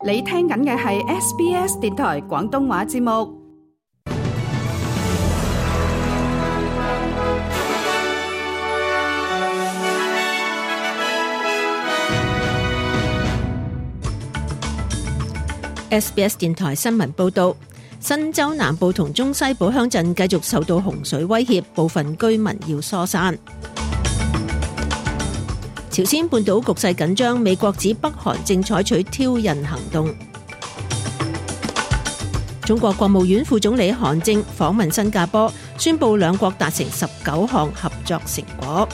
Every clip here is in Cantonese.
你聽緊嘅係 SBS 電台廣東話節目。SBS 電台新聞報道，新州南部同中西部鄉鎮繼續受到洪水威脅，部分居民要疏散。朝鮮半島局勢緊張，美國指北韓正採取挑釁行動。中國國務院副總理韓正訪問新加坡，宣布兩國達成19項合作成果。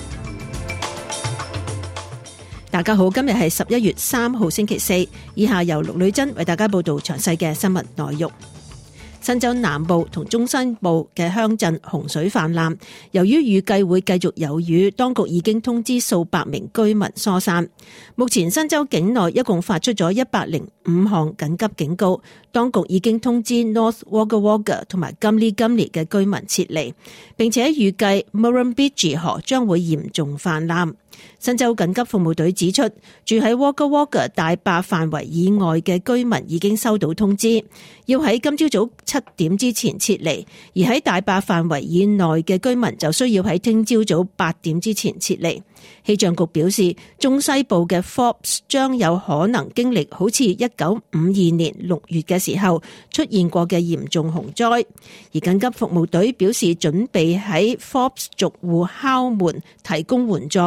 大家好，今日係11月3號星期四，以下由陸女珍為大家報道詳細嘅新聞內容。新州南部同中西部嘅鄉鎮洪水泛濫，由於預計會繼續有雨，當局已經通知數百名居民疏散。目前新州境內一共發出咗105項緊急警告，當局已經通知 North Wagga Wagga 同埋 Gumli Gumli 嘅居民撤離，並且預計 Murrumbidgee 河將會嚴重泛濫。新州緊急服務隊指出，住喺 Wagga Wagga 大壩範圍以外嘅居民已經收到通知，要喺今朝早7點之前撤離，而喺大壩範圍以內嘅居民就需要喺聽朝早8點之前撤離。氣象局表示，中西部嘅 Forbes 將有可能經歷好似1952年6月嘅時候出現過嘅嚴重洪災，而緊急服務隊表示準備喺 Forbes 逐戶敲門提供援助，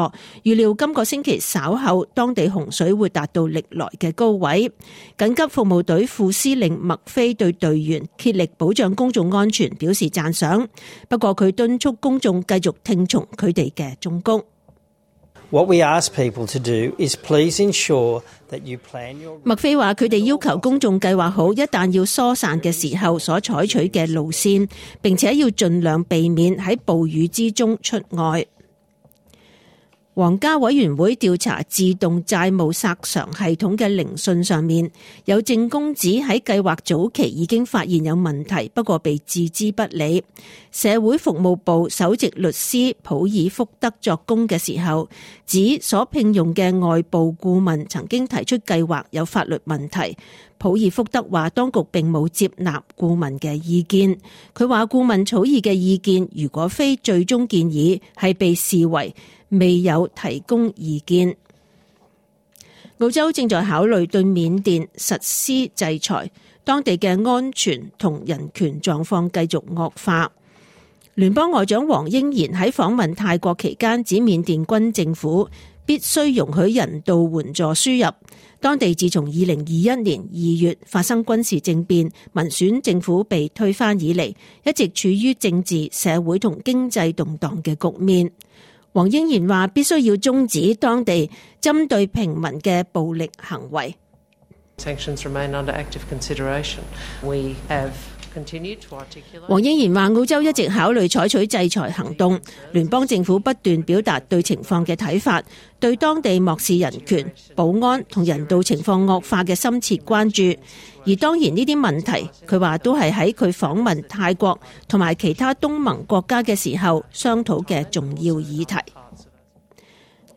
預料今個星期稍後當地洪水會達到歷來嘅高位。緊急服務隊副司令麥菲對隊員竭力保障公眾安全表示讚賞，不過佢敦促公眾繼續聽從佢哋嘅忠告。What we ask people to do is please ensure that you plan your... 麥菲話佢哋要求公眾計劃好一旦要疏散嘅時候所採取嘅路線，並且要盡量避免喺暴雨之中出外。皇家委員會調查自動債務索償系統嘅聆訊上面，有證供指喺計劃早期已經發現有問題，不過被置之不理。社會服務部首席律師普爾福德作供嘅時候，指所聘用嘅外部顧問曾經提出計劃有法律問題。普爾福德話當局並冇接納顧問嘅意見。佢話顧問草擬嘅意見如果非最終建議，係被視為未有提供意見。澳洲正在考慮對緬甸實施制裁，當地嘅安全同人權狀況繼續惡化。聯邦外長黃英賢喺訪問泰國期間指緬甸軍政府必須容許人道援助輸入。當地自從2021年2月發生軍事政變，民選政府被推翻以嚟，一直處於政治、社會同經濟動盪嘅局面。黃英賢話必須要終止當地針對平民嘅暴力行為。黃英賢話澳洲一直考慮採取制裁行動，聯邦政府不斷表達對情況嘅睇法，對當地漠視人權、保安同人道情況惡化嘅深切關注。而當然呢啲問題，佢話都係喺佢訪問泰國同埋其他東盟國家嘅時候商討嘅重要議題。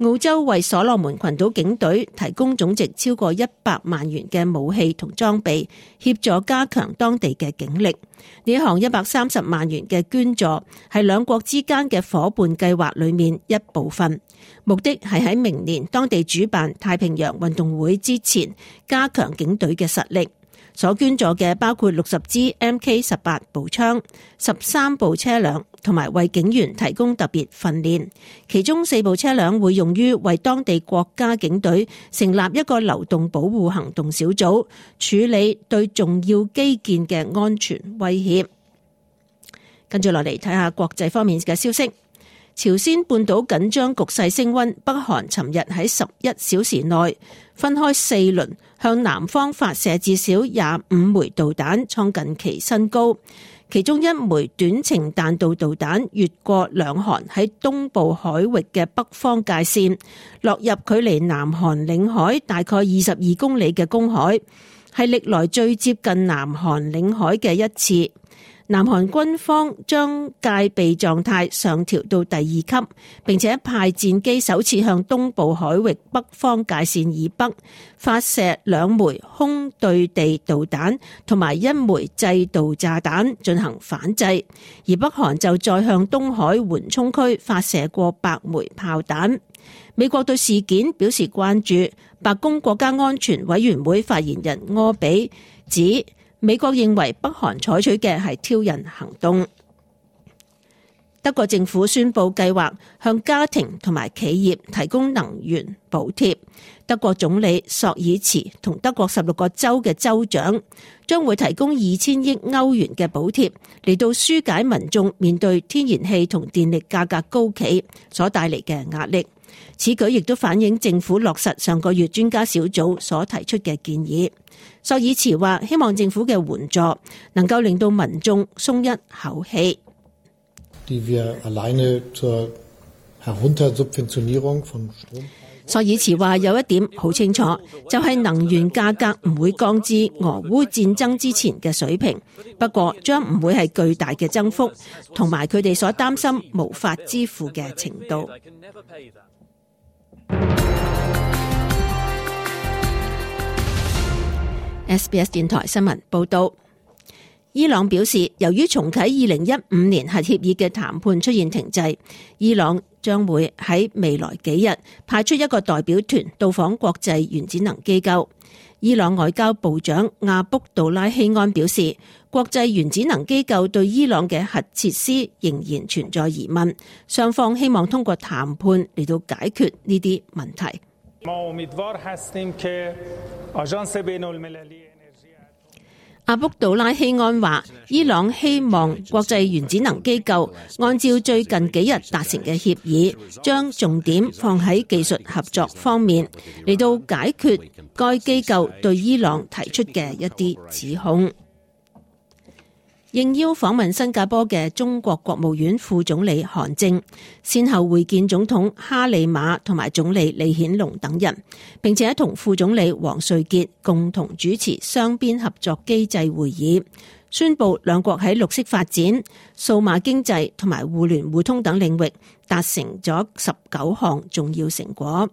澳洲為所羅門群島警隊提供總值超過100萬元嘅武器同裝備，協助加強當地嘅警力。呢項130萬元嘅捐助係兩國之間嘅夥伴計劃裏面一部分，目的係喺明年當地主辦太平洋運動會之前加強警隊嘅實力。所捐助嘅包括60支 MK18 步槍、13部車輛，同埋為警員提供特別訓練。其中4部車輛會用於為當地國家警隊成立一個流動保護行動小組，處理對重要基建嘅安全威脅。跟住落嚟睇下國際方面嘅消息。朝鮮半島緊張局勢升溫，北韓尋日喺11小時內分開4輪向南方發射至少25枚導彈，創近期新高。其中一枚短程彈道導彈越過兩韓喺東部海域嘅北方界線，落入距離南韓領海大概22公里嘅公海，係歷來最接近南韓領海嘅一次。南韓軍方將戒備狀態上調到第2級，並且派戰機首次向東部海域北方界線以北發射2枚空對地導彈同埋1枚制導炸彈進行反制，而北韓就再向東海緩衝區發射過100枚炮彈。美國對事件表示關注，白宮國家安全委員會發言人柯比指，美國認為北韓採取嘅係挑釁行動。德國政府宣布計劃向家庭同埋企業提供能源補貼。德國總理朔爾茨同德國16個州嘅州長將會提供2000億歐元嘅補貼，嚟到紓解民眾面對天然氣同電力價格高企所帶嚟嘅壓力。此舉亦都反映政府落實上個月專家小組所提出嘅建議。朔爾茨話希望政府嘅援助能夠令到民眾鬆一口氣。朔爾茨話有一點好清楚，就係能源價格唔會降至俄烏戰爭之前嘅水平，不過將唔會係巨大嘅增幅，同埋佢哋所擔心無法支付嘅程度。SBS 電台新聞報道，伊朗表示，由於重啟2015年核協議嘅談判出現停滯，伊朗將會喺未來幾日派出一個代表團到訪國際原子能機構。伊朗外交部長阿卜杜拉希安表示，國際原子能機構對伊朗嘅核設施仍然存在疑問，雙方希望通過談判嚟到解決呢啲問題。阿卜杜拉希安話，伊朗希望國際原子能機構按照最近幾日達成嘅協議，將重點放喺技術合作方面，嚟到解決該機構對伊朗提出嘅一啲指控。應邀訪問新加坡嘅中國國務院副總理韓正，先後會見總統哈里馬同埋總理李顯龍等人，並且同副總理王瑞傑共同主持雙邊合作機制會議，宣布兩國喺綠色發展、數碼經濟同埋互聯互通等領域達成咗19項重要成果。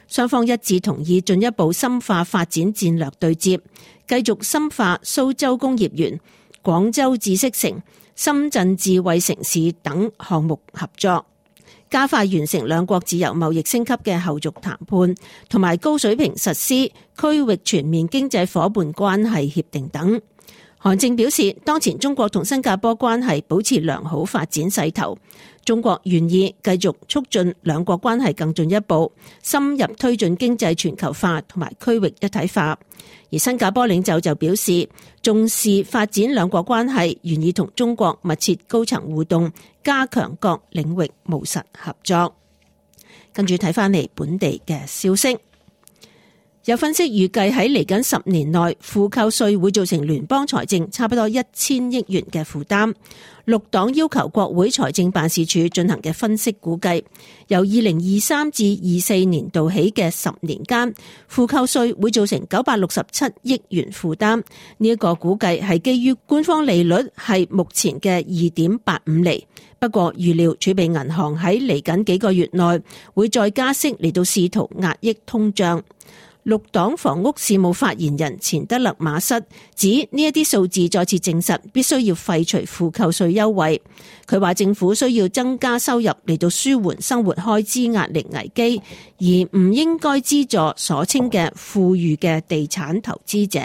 雙方一致同意進一步深化發展戰略對接，繼續深化蘇州工業園、廣州知識城、深圳智慧城市等項目合作，加快完成兩國自由貿易升級嘅後續談判，同埋高水平實施區域全面經濟夥伴關係協定等。韓正表示，當前中國同新加坡關係保持良好發展勢頭，中國願意繼續促進兩國關係更進一步，深入推進經濟全球化同埋區域一體化。而新加坡領袖就表示，重視發展兩國關係，願意同中國密切高層互動，加強各領域務實合作。跟住睇返嚟本地嘅消息。有分析預計喺嚟緊10年內，負扣稅會造成聯邦財政差不多1000億元嘅負擔。綠黨要求國會財政辦事處進行嘅分析估計，由2023至24年度起嘅10年間，負扣稅會造成967億元負擔。呢一個估計係基於官方利率係目前嘅 2.85 厘。不過預料儲備銀行喺嚟緊幾個月內會再加息嚟到試圖壓抑通脹。綠黨房屋事務發言人錢德勒馬瑟指，呢一啲數字再次證實必須要廢除負扣稅優惠。佢話政府需要增加收入嚟到舒緩生活開支壓力危機，而唔應該資助所稱嘅富裕嘅地產投資者。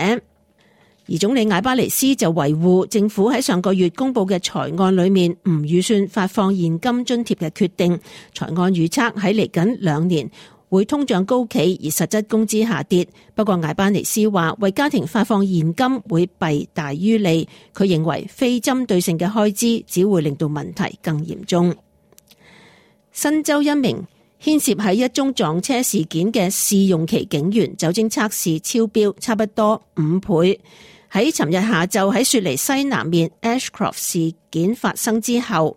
而總理艾巴尼斯就維護政府喺上個月公布嘅財案裏面唔預算發放現金津貼嘅決定。財案預測喺嚟緊2年會通脹高企，而實質工資下跌。不過艾巴尼斯話，為家庭發放現金會弊大於利。佢認為非針對性嘅開支只會令到問題更嚴重。新州一名牽涉喺一宗撞車事件嘅試用期警員酒精測試超標差不多5倍。喺尋日下晝喺雪梨西南面 Ashcroft 事件發生之後，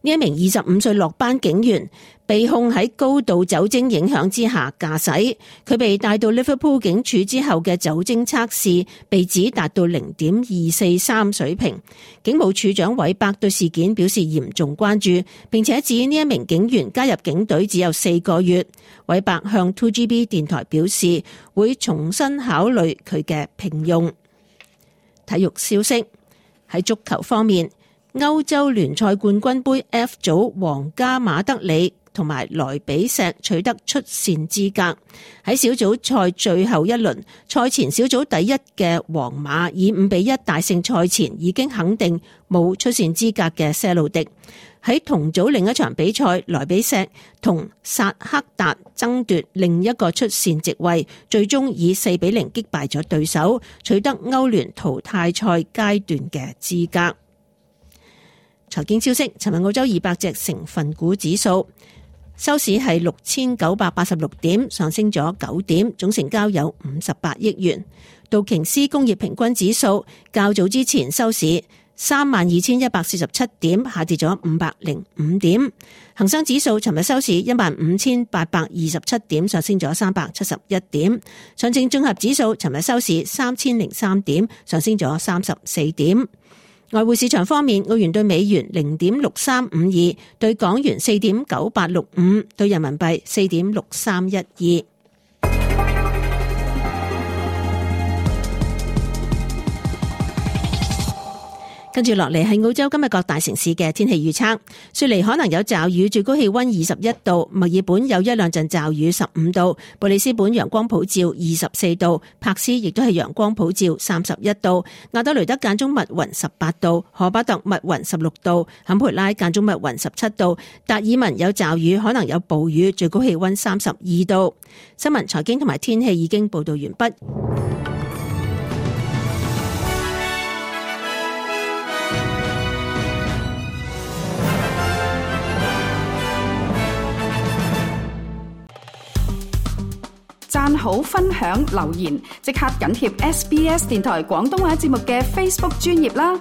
呢一名25歲落班警員被控喺高度酒精影響之下駕駛。佢被帶到 Liverpool 警署之後嘅酒精測試被指達到 0.243 水平。警務處長韋伯對事件表示嚴重關注，並且指呢一名警員加入警隊只有4個月。韋伯向 2GB 電台表示會重新考慮佢嘅聘用。體育消息，喺足球方面，歐洲聯賽冠軍盃 F 組皇家馬德里同埋萊比錫取得出線資格。喺小組賽最後一輪，賽前小組第一嘅皇馬以5-1大勝賽前已經肯定冇出線資格嘅些路迪。喺同組另一場比賽，萊比錫同薩克達爭奪另一個出線席位，最終以4-0擊敗咗對手，取得歐聯淘汰賽階段嘅資格。財經消息，尋日澳洲200隻成分股指數收市係6986點，上升咗9點，總成交有58億元。道瓊斯工業平均指數較早之前收市32,147點，下跌咗505點。恒生指數尋日收市15,827點，上升咗371點。上證綜合指數尋日收市3003點，上升咗34點。外匯市場方面，澳元兌美元0.6352，兌港元4.9865，兌人民幣4.6312。跟住落嚟係澳洲今日各大城市嘅天氣預測。雪梨可能有驟雨，最高氣溫21度；墨爾本有1-2陣驟雨，15度；布里斯本陽光普照，24度；柏斯亦都係陽光普照，31度；亞德雷德間中密雲，18度；荷巴特密雲，16度；坎培拉間中密雲，17度；達爾文有驟雨，可能有暴雨，最高氣溫32度。新聞、財經同埋天氣已經報道完畢。讚好、分享、留言，即刻緊貼SBS 電台廣東話節目嘅 Facebook 專頁啦！